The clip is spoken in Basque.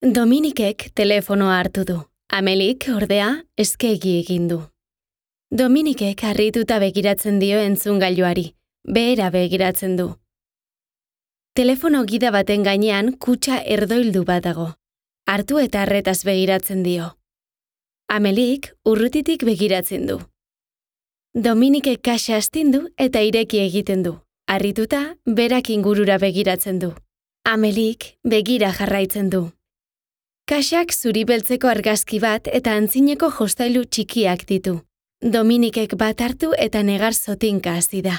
Dominikek telefonoa hartu du. Amelik, ordea, eskegi egin du. Dominikek harrituta begiratzen dio entzungailuari, behera begiratzen du. Telefono gida baten gainean kutxa erdoildu bat dago. Hartu eta arretaz begiratzen dio. Amelik urrutitik begiratzen du. Dominikek kaxa astindu eta ireki egiten du. Harrituta, berak ingurura begiratzen du. Amelik begira jarraitzen du. Kaxak zuri beltzeko argazki bat eta antzineko jostailu txikiak ditu. Dominikek bat hartu eta negar zotinka hasi da.